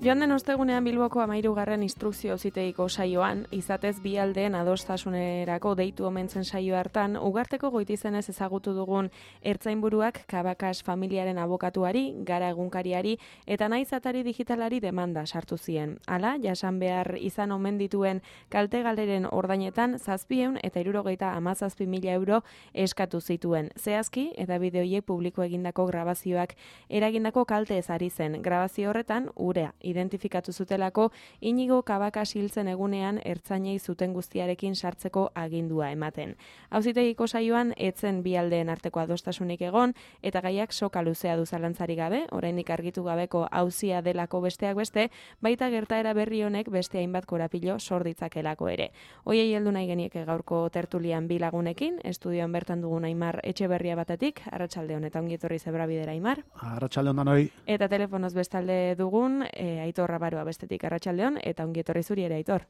Joan den ostegunean Bilboko 13. instrukzio auzitegiko saioan, izatez bi aldeen adostasunerako deitu omentzen saio hartan, Ugarteko Goitizenez ezagutu dugun ertzainburuak Kabakas familiaren abokatuari, Gara egunkariari eta Naiz atari digitalari demanda sartu zien. Hala, jasan behar izan omen dituen kalte galeren ordainetan 700 eta 77.000 euro eskatu zituen. Zehazki eta bideoiek publiko egindako grabazioak eragindako kalte ez ari zen. Grabazio horretan, urea identifikatu zutelako Inigo Kabakas hiltzen egunean ertzainei zuten guztiarekin sartzeko agindua ematen. Auzitegiko saioan etzen bi aldeen arteko adostasunik egon eta gaiak soka luzea du zalantzarik gabe, oraindik argitu gabeko auzia delako besteak beste, baita gertaera berri honek beste hainbat korapilo sor ditzakelako ere. Hoiei heldu nahi genieke gaurko tertulian bi lagunekin, estudioan bertan dugun Aimar Etxeberria batetik, arratsaldeon eta ongi etorri Zebrabidera Aimar. Arratsaldeon danoi. Eta telefonoz bestalde dugun Aitor Rabaroa bestetik arratsaldeon eta ongi etorri zuri ere Aitor.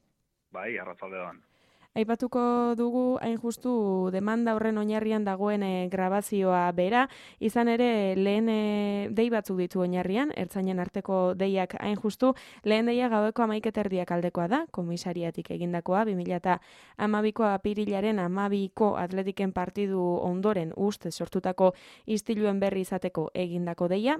Bai, arratsaldeon. Aipatuko dugu hain justu demanda horren oinarrian dagoen grabazioa bera, izan ere lehen dei batzuk ditu oinarrian, ertzainen arteko deiak hain justu, lehen deia gaueko 11:30 aldekoa da, komisariatik egindakoa, 2012ko apirilaren 12ko atletiken partidu ondoren ustez sortutako istiluen berri izateko egindako deia.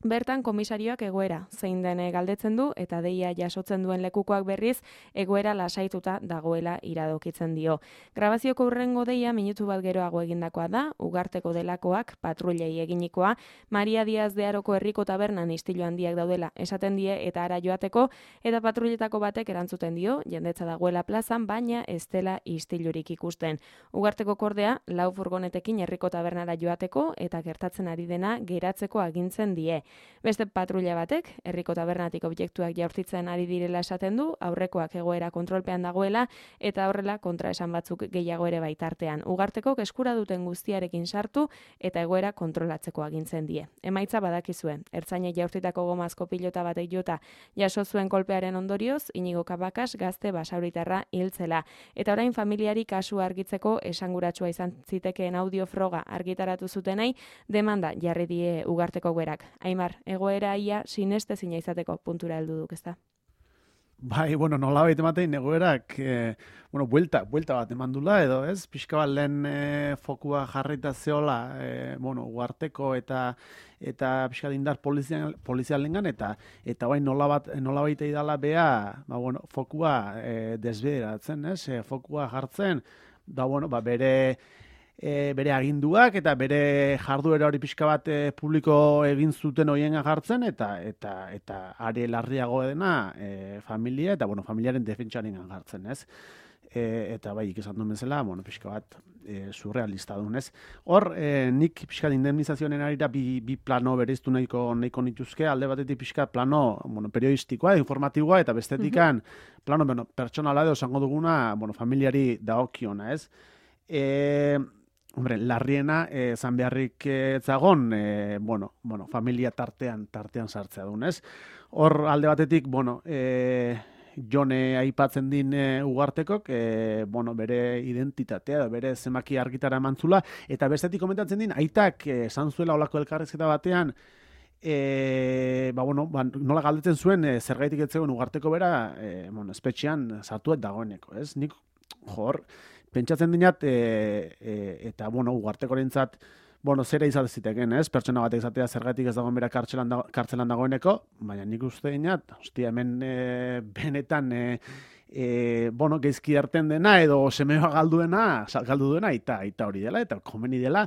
Bertan komisarioak egoera zein den galdetzen du eta deia jasotzen duen lekukoak berriz egoera lasaituta dagoela iradokitzen dio. Grabazioko hurrengo deia minutu bat geroago egindakoa da, Ugarteko delakoak patrullei eginikoa, Maria Diaz de Aroko herriko tabernan istilu handiak daudela esaten die eta ara joateko eta patrulletako batek erantzuten dio, jendetza dagoela plazan, baina ez dela istilurik ikusten. Ugarteko kordea 4 furgonetekin herriko tabernara joateko eta gertatzen ari dena geratzeko agintzen die. Beste patrulla batek, herriko tabernatik objektuak jaurtitzen ari direla esaten du, aurrekoak egoera kontrolpean dagoela eta horrela kontraesan batzuk gehiago ere baitartean. Ugarteko eskura duten guztiarekin sartu eta egoera kontrolatzeko agintzen die. Emaitza badakizue, ertzainei jaurtitako gomazko pilota batek jota jaso zuen kolpearen ondorioz, Inigo Kabakas gazte basauritarra hiltzela. Eta orain familiari kasu argitzeko esanguratsua izan zitekeen audio froga argitaratu zutenei demanda jarri die Ugarteko berak. Aimar, egoera ia sinestezina izateko puntura heldu duk, ezta? Bai, nolabait ematein egoerak, buelta bat emandula edo, ez? Pixka bat lehen fokua jarrita zeola, Ugarteko eta pixka indar polizialengan eta bain nolabait eidala bea, fokua desbideratzen, ez? Fokua jartzen, bere aginduak eta bere jarduera hori pixka bat publiko egin zuten hoien jartzen eta are larriago dena familia eta familiaren defentsaren jartzen, ez? Eta bai, ikesan duen bezala, pixka bat surrealista duen, ez? Hor, nik pixka indemnizazioen arira bi plano bereiztu nahiko nituzke, alde batetik pixka plano periodistikoa, informatiboa, eta bestetikan plano pertsonala edo esango duguna familiari dagokiona, ez? Larriena zan beharrik zagon, familia tartean sartzea dunez. Hor alde batetik, Jone aipatzen din Ugartekok, bere identitatea, bere zemaki argitara emantzula, eta bestetik komentatzen din, aitak esan zuela olako elkarrezketa batean, nola galdetzen zuen, zergaitik etzegoen Ugarteko bera, espetxean sartuet dagoeneko, ez? Nik, pentsatzen dinat, eta, Ugartekorentzat, zera izate ziteken, ez? Pertsona batek izatea zergatik ez dagoen bera kartzelan dagoeneko, baina nik uste dinat, hemen benetan, geizki erten dena, edo semeoa galdu duena, eta hori dela, eta komeni dela,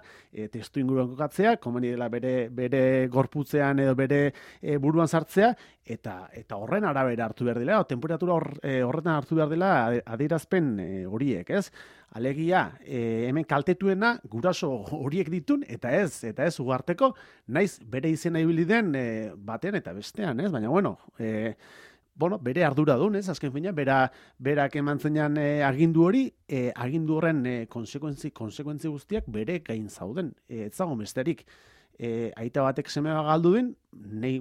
testu inguruan kokatzea, komeni dela bere gorputzean edo bere buruan sartzea, eta horren arabera hartu behar dela, temperatura horretan hartu behar dela adierazpen horiek, ez? Alegia, hemen kaltetuena guraso horiek ditun, eta ez Ugarteko, naiz bere izena ibili den batean eta bestean, ez? Baina, bere ardura duen, ez? Azken fina, berak eman zenean agindu hori, agindu horren konsekuentzi guztiak bere gain zauden, ez zago besterik. Aita batek semea galdu den, nahi,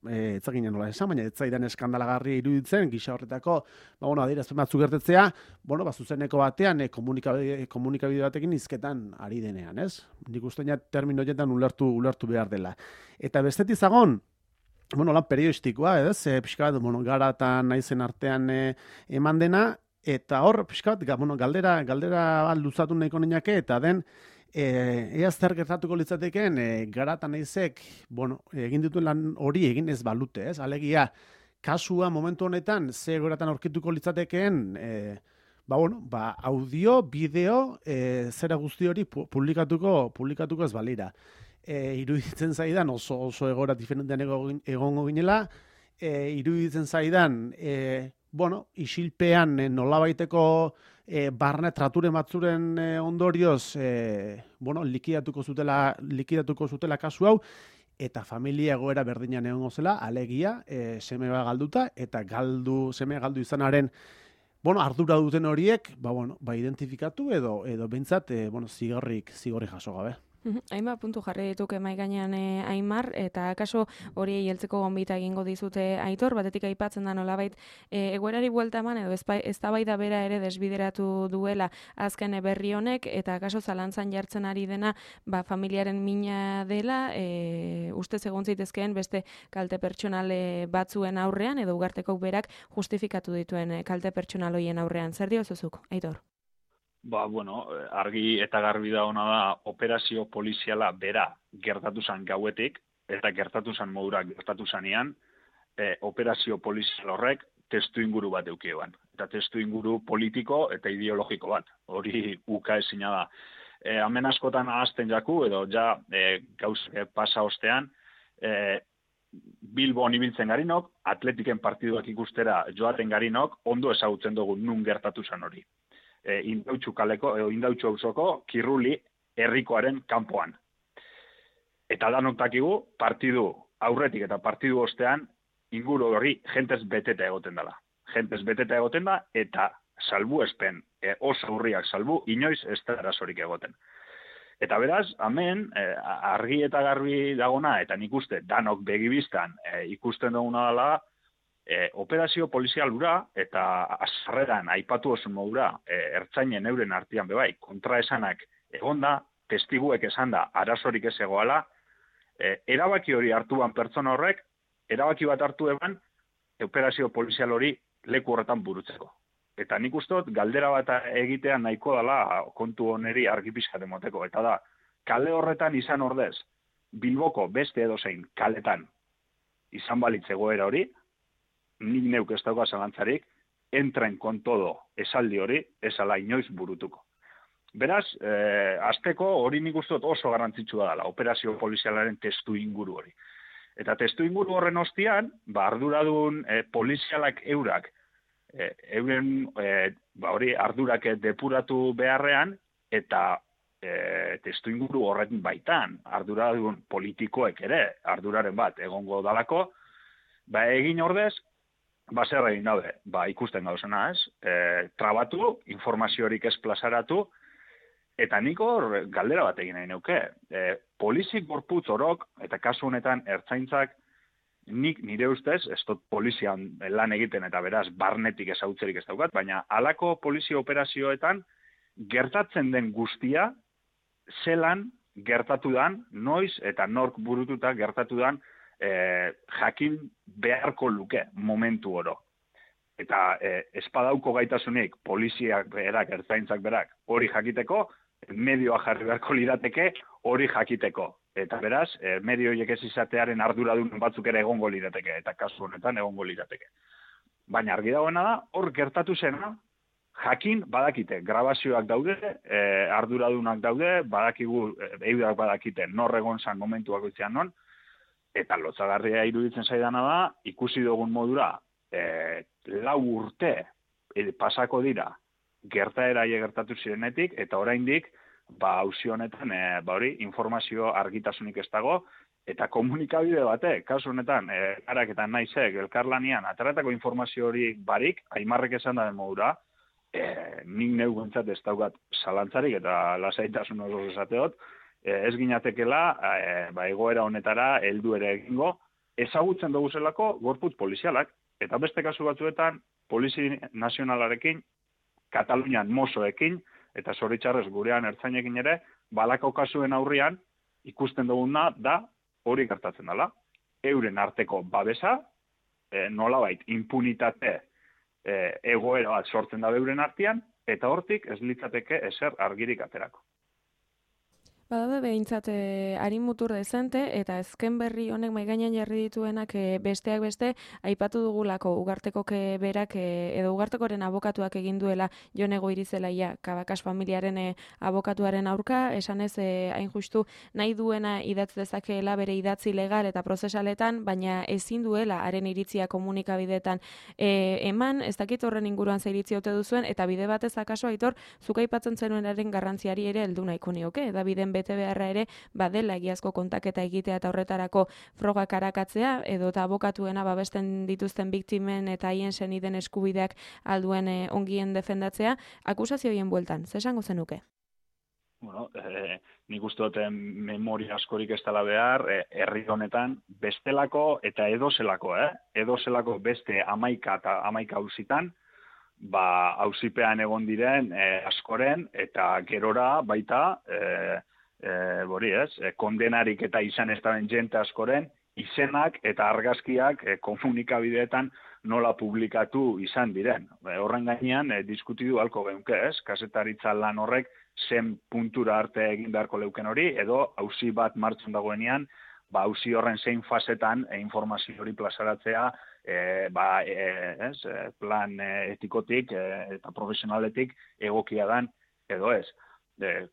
ez zakinen nola esan, baina ez zaidan eskandalagarria iruditzen, gisa horretako, adierazpen batzuk gertetzea, zuzeneko batean, komunikabide batekin hizketan ari denean, ez? Nik uste termino horietan ulertu behar dela. Eta bestetik zagon, bueno, lan periodistikoa, ez? Pixka bat, bueno, gara eta naizen artean eman dena, eta hor, pixka bat, bueno, galdera bat luzatu nahiko niñake, eta den, ea zer gertatuko litzatekeen, gara eta naizek, bueno, egin dituen lan hori egin ez balute, ez? Alegia, kasua momentu honetan, ze goratan aurkituko litzatekeen, audio, bideo, zera guzti hori publikatuko ez balira. Iruditzen zaidan oso egora diferentean egongo ginela, iruditzen zaidan, isilpean nolabaiteko barne trature batzuren ondorioz, likidatuko zutela kasu hau, eta familia egoera berdinan egongo zela, alegia, seme galduta, eta seme galdu izanaren ardura duten horiek, identifikatu edo behintzat, zigorrik jaso gabe. Hainbat puntu jarri dituke mahai gainean Aimar, eta kaso hori heltzeko gonbita egingo dizute Aitor, batetik aipatzen da nolabait egoerari buelta eman edo eztabaida bera ere desbideratu duela azken berri honek, eta kaso zalantzan jartzen ari dena familiaren mina dela, ustez egon zitezkeen beste kalte pertsonal batzuen aurrean, edo Ugartekok berak justifikatu dituen kalte pertsonal hoien aurrean. Zer diozuzuk, Aitor? Argi eta garbi da ona da operazio poliziala bera gertatu zan gauetik, eta gertatu zan modura gertatu zanean, operazio polizial horrek testu inguru bat eukioan. Eta testu inguru politiko eta ideologiko bat. Hori uka ezina da. Hemen askotan ahazten jaku, edo gauzak pasa ostean, Bilbon ibiltzen garinok, Atletiken partiduak ikustera joaten garinok, ondo ezagutzen dugu nun gertatu zan hori. Indautxu kaleko, Indautxu auzoko kirruli herrikoaren kanpoan. Eta danok dakigu, partidu aurretik eta partidu ostean, inguru hori jentez beteta egoten dela. Jentez beteta egoten da, eta salbu espen, oso urriak salbu, inoiz ez da arazorik egoten. Eta beraz, hemen, argi eta garbi dagona, eta nik uste, danok begibistan ikusten duguna dela, operazio polizial ura eta azarreran aipatu osun modura ertzainen euren artean bebai, kontraesanak egonda, testiguek esan da arazorik ez egoala, erabaki hori hartuan pertsona horrek, erabaki bat hartu eban, operazio polizial hori leku horretan burutzeko. Eta nik ustot, galdera bat egitea nahiko dela kontu oneri argi pixkat emoteko. Eta da, kale horretan izan ordez, Bilboko beste edozein kaletan izan balitz egoera hori, nik neuk ez dauka zalantzarik, entren con todo esaldi hori, esala inoiz burutuko. Beraz, azteko hori nik ustot oso garrantzitsua dela, operazio polizialaren testu inguru hori. Eta testu inguru horren ostian, arduradun polizialak eurak, euren ardurak depuratu beharrean, eta testu inguru horren baitan, arduradun politikoek ere, arduraren bat egongo dalako, egin ordez, zer egin daude, ikusten gauzena ez, trabatu, informaziorik ez plazaratu, eta nik hor galdera bat egin nahi neuke. Polizik gorputz orok, eta kasu honetan ertzaintzak, nik nire ustez, ez dut polizian lan egiten eta beraz barnetik ezautzerik ez daukat, baina halako polizia operazioetan gertatzen den guztia, zelan gertatu dan, noiz eta nork burututa gertatu dan, jakin beharko luke momentu oro. Eta espadauko gaitasunik poliziak berak, ertzaintzak berak hori jakiteko, medioa jarri beharko lirateke hori jakiteko. Eta beraz, medio horiek ez izatearen arduradun batzuk ere egongo lirateke, eta kasu honetan egongo lirateke. Baina argi dagoena da, hor gertatu zena, jakin badakite, grabazioak daude, arduradunak daude, badakigu, eurak badakite, nor egon zan momentuak itzean non, eta lotzagarria iruditzen zaidana da, ikusi dugun modura, 4 urte pasako dira gertaera gertatu zirenetik, eta oraindik auzi honetan informazio argitasunik ez dago, eta komunikabide batek, kasu honetan, garak eta naizek, elkarlanian, ateratako informazio hori barik, Aimarrek esan da den modura, nik neu gontzat ez daukat zalantzarik, eta lasaitasun oso esateot, ez ginatekela, egoera honetara heldu ere egingo, ezagutzen dugu zelako gorputz polizialak, eta beste kasu batzuetan, Polizi Nazionalarekin, Katalunian mozoekin, eta zoritxarrez gurean ertzainekin ere, balako kasuen aurrian ikusten duguna da hori gertatzen dela. euren arteko babesa, nolabait impunitate egoera bat sortzen da euren artean, eta hortik ez litzateke ezer argirik aterako. Badaude behintzat harin mutur dezente, eta ezken berri honek maigainan jarri dituenak besteak beste, aipatu dugulako ugartekok berak, edo ugartekoren abokatuak egin duela Jon Goirizelaia, Kabakas familiaren abokatuaren aurka, esanez hain justu nahi duena idatz dezakeela bere idatzi legal eta prozesaletan, baina ezin duela haren iritzia komunikabideetan eman, ez dakit horren inguruan ze iritzi ote duzuen, eta bide batez akaso Aitor, zuk aipatzen zenuenaren garrantziari ere heldu nahiko nioke, eta biden bete beharra ere badela egiazko kontaketa egitea eta horretarako frogak arakatzea, edo eta abokatuena babesten dituzten biktimen eta haien seniden eskubideak alduen ongien defendatzea, akusazioien bueltan, ze esango zenuke? Bueno, nik uste dut memoria askorik ez dela behar, herri honetan bestelako eta edozelako beste 11 eta 11 auzitan, auzipean egon diren askoren eta gerora baita kondenarik eta izan ez daren jente askoren izenak eta argazkiak komunikabideetan nola publikatu izan diren. Horren gainean diskutidu halko geunke, kazetaritza lan horrek zen puntura arte egin beharko leuken hori, edo auzi bat martxan dagoenean, auzi horren zein fasetan informazio hori plazaratzea plan etikotik eta profesionaletik egokia dan edo ez.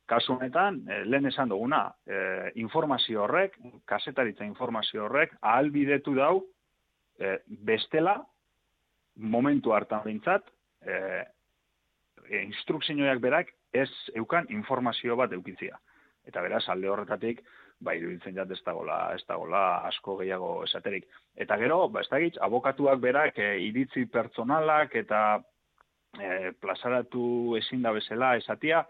Kasu honetan, lehen esan duguna, informazio horrek, kazetaritza informazio horrek, ahalbidetu dau, bestela, momentu hartan bintzat, instrukzioak berak ez eukan informazio bat eukitzia. Eta beraz, alde horretatik, iruditzen jat ez dagoela asko gehiago esaterik. Eta gero, ez dakit, abokatuak berak iritzi pertsonalak eta plazaratu ezin da bezala esatia,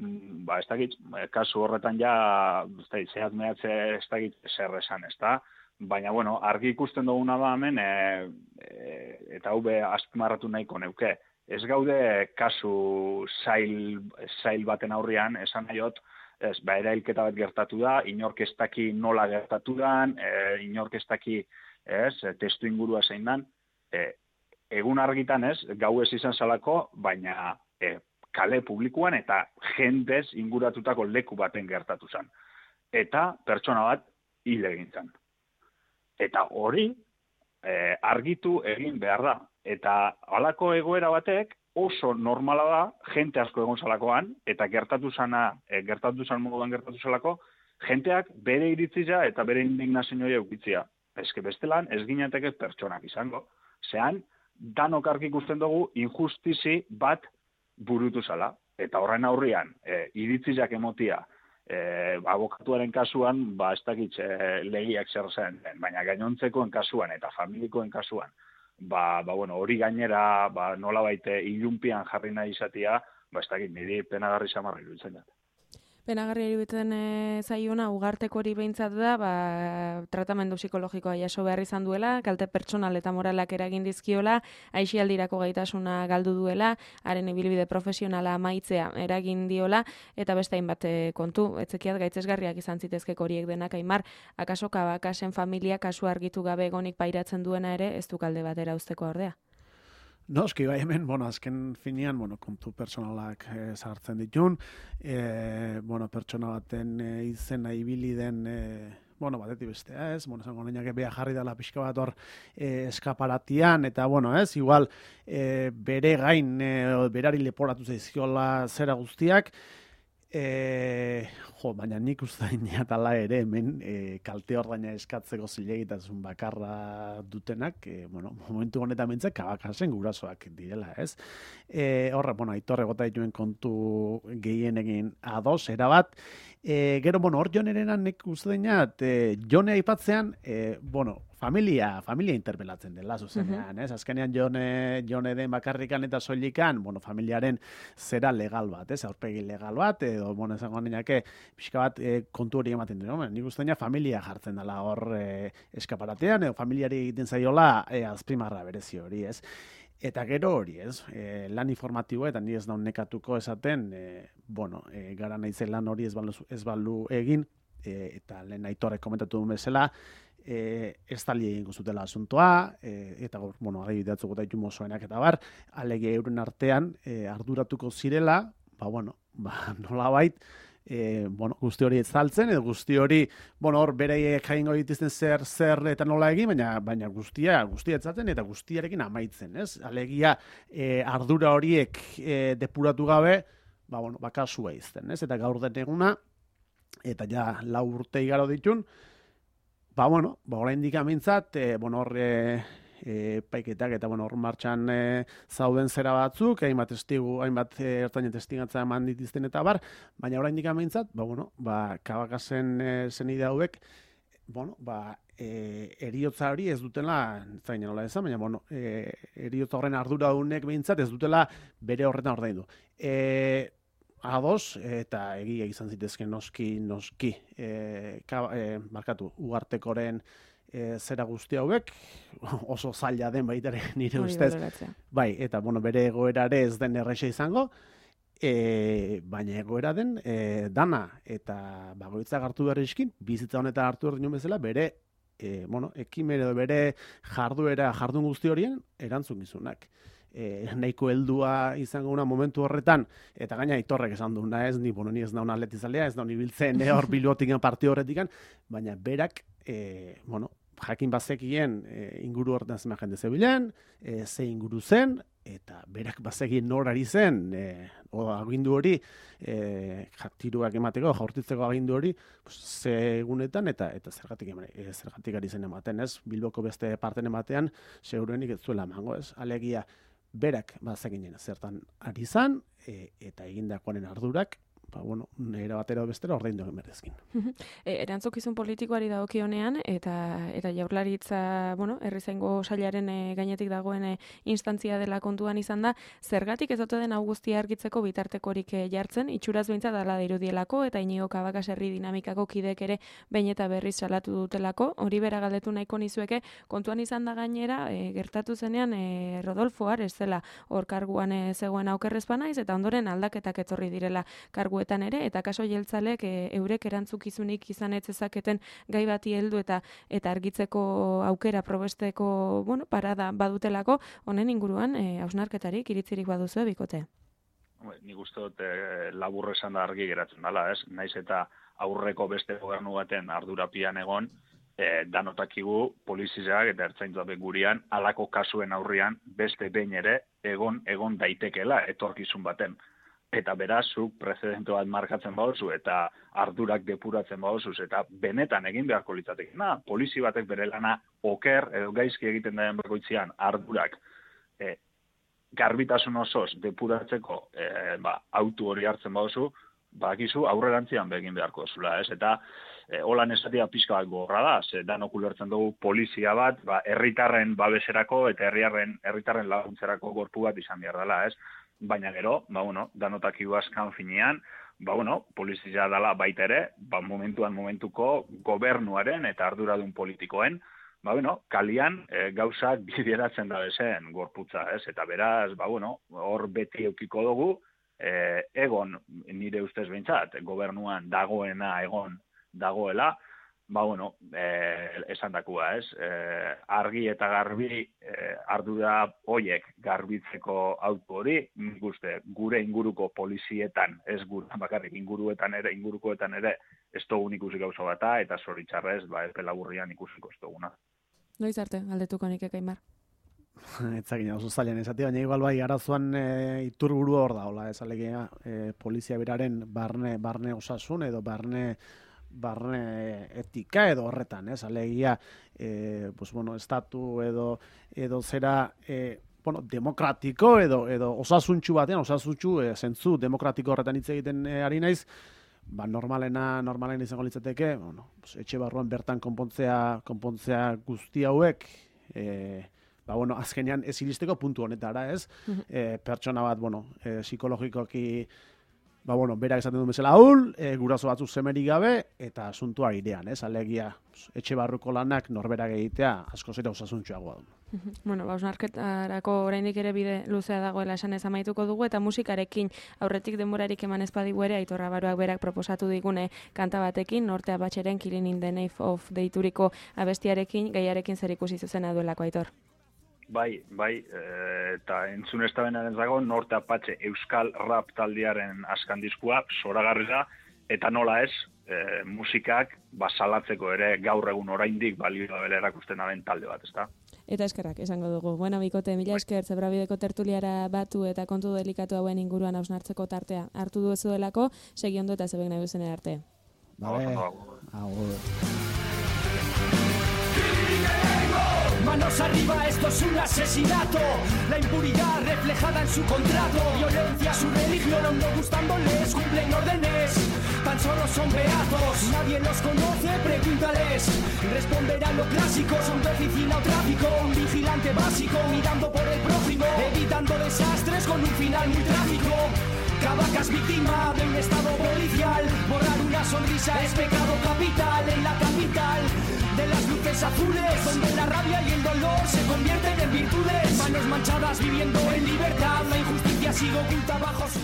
ez dakit, kasu horretan ja, zehat mehatze ez dakit zer esan, ez da? Baina, bueno, argi ikusten duguna da hemen, eta hau azpimarratu nahiko neuke. Ez gaude kasu zail baten aurrean, esan nahiot, erailketa bat gertatu da, inork ez daki nola gertatu dan, inork ez daki testu ingurua zein dan, egun argitan gau ez izan zalako, baina kale publikoan eta jendez inguratutako leku baten gertatu zen. Eta pertsona bat hil egin zen. Eta hori argitu egin behar da. Eta halako egoera batek oso normala da, jente asko egon zalakoan, eta gertatu zan moduan gertatu zalako, jenteak bere iritzia eta bere indignazioa eukitzia. Bestelan ez ginateke pertsonak izango. Zean, danok argi ikusten dugu injustizi bat burutu zala. Eta horren aurrian, iritziak emotia, abokatuaren kasuan, ez dakit legiak zer zen, baina gainontzekoen kasuan eta familikoen kasuan, hori gainera nolabait ilunpian jarri nahi izatea, ez dakit niri penagarri samarra iruditzen da. Penagarri iruditzen zaiona, ugarteko hori behintzat da, tratamendu psikologikoa jaso behar izan duela, kalte pertsonal eta moralak eragin dizkiola, aisialdirako gaitasuna galdu duela, haren ibilbide profesionala amaitzea eragin diola, eta beste hainbat kontu, etzekiat gaitzesgarriak izan zitezkeko horiek denak, Aimar, akaso Kabakasen familia kasu argitu gabe egonik pairatzen duena ere, ez du kalde batera uzteko ordea. Noski, hemen, azken finean, kontu personalak sartzen ditun, pertsona baten izena ibili den, batetik bestea, ez? Zango neinak beha jarri dela pixka bat hor eskaparatian, eta, igual, bere gain, berari leporatu zaizkiola zera guztiak, baina nik uste inatala ere hemen kalte ordaina eskatzeko zilegitasun bakarra dutenak, momentu honetan mentzak Kabakasen gurasoak direla, ez? Aitor egota dituen kontu gehienekin ados, erabat. Gero, hor Jonerenan nik uste dinat, Jone aipatzean, familia interpelatzen dela zuzenean, ez? Azkenean Jone den bakarrikan eta soilikan, familiaren zera legal bat, ez? Aurpegi legal bat, edo, esango neinake, pixka bat kontu hori ematen dira. Nik uste dina familia jartzen dela hor eskaparatean, edo familiari egiten zaiola azpimarra berezi hori, ez? Eta gero hori, ez? Lan informatiboa, eta ni ez daun nekatuko esaten, gara nahizen lan hori ez balu egin, eta lehen Aitorrek komentatu duen bezala, ez tali egingo zutela asuntoa, eta bueno, ahi datzuko daitu mozoenak eta bar, alegia euren artean arduratuko zirela, nolabait, guzti hori etzaltzen, edo guzti hori, hor bereiek jaingo dituzten zer eta nola egin, baina guztia etzaltzen eta guztiarekin amaitzen, ez? Alegia ardura horiek depuratu gabe, kasua izten, ez? Eta gaur den eguna, eta ja 4 urte igaro ditun, oraindik amintzat, paiketak eta hor martxan zauden zera batzuk, hainbat ertainen testigatza eman dituzten eta bar, baina oraindik amintzat, Kabakasen zenide hauek, eriotza hori ez dutela, zain nola esan, baina eriotza horren arduradunek behintzat ez dutela bere horretan ordaindu. Ados, eta egia izan zitezken noski, Ugartekoren zera guzti hauek, oso zaila den baitare nire ustez. Bai, eta bere egoerare ez den erresa izango, baina egoera den dana, eta bagoitzak hartu berrizkin, bizitza honetan hartu erdin bezala, bere ekimen edo bere jardun guzti horien erantzukizunak. Nahiko heldua izango una momentu horretan, eta gaina Aitorrek esan duena, ez ni ez naun atletizalea, ez naun ibiltzen hor Bilbotikan partio horretikan, baina berak, jakin bazekien inguru horretan zema jende zebilen, ze inguru zen, eta berak bazekien nor ari zen, agindu hori, tiruak emateko, jaurtitzeko agindu hori, ze egunetan, eta zergatik ari zen ematen, ez? Bilboko beste parten ematean, seguruenik ez zuela emango, ez? Alegia, berak bazekinen zertan ari zan, eta egindakoaren ardurak, nera batera bestera ordaindu egin berdezkin. Erantzukizun politikoari dagokionean eta Jaurlaritza, herrizaingo sailaren gainetik dagoen instantzia dela kontuan izan da, zergatik ez ote den hau guztia argitzeko bitartekorik jartzen, itxuraz behintzat dela dirudielako eta Inigo Kabakas herri dinamikako kidek ere behin eta berriz salatu dutelako, hori bera galdetu nahiko nizueke, kontuan izan da gainera, gertatu zenean Rodolfo Ares zela hor karguan zegoen aukerrezpa naiz, eta ondoren aldaketak etorri direla kargu ere, eta kaso jeltzalek eurek erantzukizunik izan ez ezaketen gai bati heldu eta argitzeko aukera probesteko parada badutelako, honen inguruan hausnarketarik iritzirik baduzu bikote. Nik uste dut labur esan da argi geratzen dela, ez? Naiz eta aurreko beste gobernu baten ardurapian egon, danotakigu poliziak eta ertzaintzak gurian halako kasuen aurrian beste behin ere egon daitekela etorkizun baten. Eta beraz, zuk prezidente bat markatzen bauzu eta ardurak depuratzen bauzu eta benetan egin beharko litzatekena, polizi batek bere lana oker edo gaizki egiten den bakoitzean ardurak garbitasun osoz depuratzeko autu hori hartzen bauzu, bakizu aurrerantzian begin beharko zula, ez? Eta holan esatia pixka bat gorra da, ze danok ulertzen dugu polizia bat, herritarren babeserako eta herritarren laguntzerako gorpu bat izan behar dela, ez? Baina gero, danotakigu askan finean, polizia dela baita ere, momentuko gobernuaren eta arduradun politikoen, kalian gauzak bideratzen da bezen gorputza, ez? Eta beraz, hor beti eukiko dugu, egon nire ustez behintzat, gobernuan dagoela, esan dakua, ez? Argi eta garbi ardura hoiek garbitzeko auto hori, nik uste gure inguruko polizietan, ez bakarrik ingurukoetan ere, ez dugun ikusi gauza bata, eta zoritxarrez, epe laburrian ikusiko ez duguna. Noiz arte, aldetuko nik Aimar? Etzakina oso zailan esatea, baina igual bai arazoan iturburu hor da, hola, ez alegia polizia beraren barne osasun edo barne etika edo horretan, ez? Alegia, estatu edo zera, demokratiko edo osasuntxu batean, zentzu demokratiko horretan hitz egiten ari naiz, normalen izango litzateke, etxe barruan bertan konpontzea guzti hauek, azkenean ez iristeko puntu honetara, ez? Pertsona bat, psikologikoki bueno, berak esaten du bezala hul, guraso batzuk semerik gabe, eta asuntua airean, alegia, etxe barruko lanak norberak egitea asko zera osasuntxoagoa du. Bueno, hausnarketarako oraindik ere bide luzea dagoela esan ez amaituko dugu, eta musikarekin aurretik denborarik eman ez badigu ere, Aitor Abaroak berak proposatu digune kanta batekin, Norte Abatxeren Killing in the Name of deituriko abestiarekin, gaiarekin zer ikusi zuzena duelako, Aitor. Bai, eta entzun ez da benaren zago, Norte Apache Euskal Rap taldearen askan diskua, zoragarria, eta nola ez, musikak basalatzeko ere gaur egun oraindik balio dela erakusten daben talde bat, ezta? Eta eskerrak, esango dugu. Bueno, bikote, mila esker, Zebrabideko tertuliara batu eta kontu delikatu hauen inguruan hausnartzeko tartea. Hartu duzuelako, segi ondo eta zebek nahi duzen arte. Vale, agur. Manos arriba, esto es un asesinato. La impunidad reflejada en su contrato. Violencia, su religión, aún no gustándoles, cumplen órdenes. Tan solo son beatos, nadie los conoce, pregúntales. Responderán lo clásico, son de oficina o tráfico. Un vigilante básico, mirando por el prójimo, evitando desastres con un final muy trágico. Cabacas víctima de un estado policial. Borrar una sonrisa es pecado capital en la capital. De las luces azules, donde la rabia y el dolor se convierten en virtudes. Manos manchadas viviendo en libertad, la injusticia sigue oculta bajo su